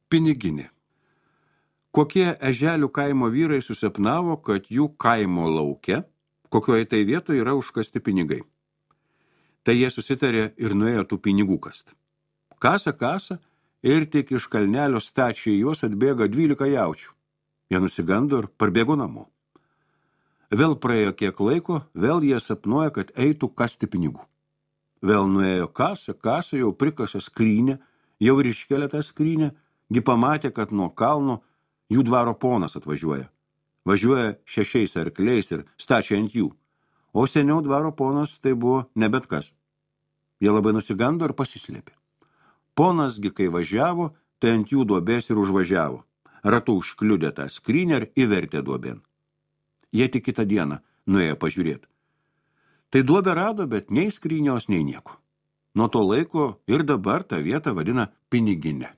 Piniginė. Kokie Eželių kaimo vyrai susapnavo, kad jų kaimo lauke, kokioje tai vietoje yra užkasti pinigai. Tai jie susitarė ir nuėjo tų pinigų kast. Kasa ir tik iš kalnelio stačiai juos atbėga 12 jaučių. Jie nusigando ir parbėgo namo. Vėl praėjo kiek laiko, vėl jie sapnuoja, kad eitų kasti pinigų. Vėl nuėjo kasa, jau prikasa skrynę, jau ir iškelia tą skrynę, gi pamatė, kad nuo kalno jų dvaro ponas atvažiuoja. Važiuoja 6 arkliais ir stačia ant jų. O seniau dvaro ponas tai buvo ne bet kas. Jie labai nusigando ir pasislėpė. Ponasgi, kai važiavo, tai ant jų duobės ir užvažiavo. Ratu užkliudė tą skrynę ir įvertė duobėn. Jie tik kitą dieną nuėjo pažiūrėti. Tai duobę rado, bet nei skrynios, nei nieko. Nuo to laiko ir dabar tą vietą vadina Pinigine.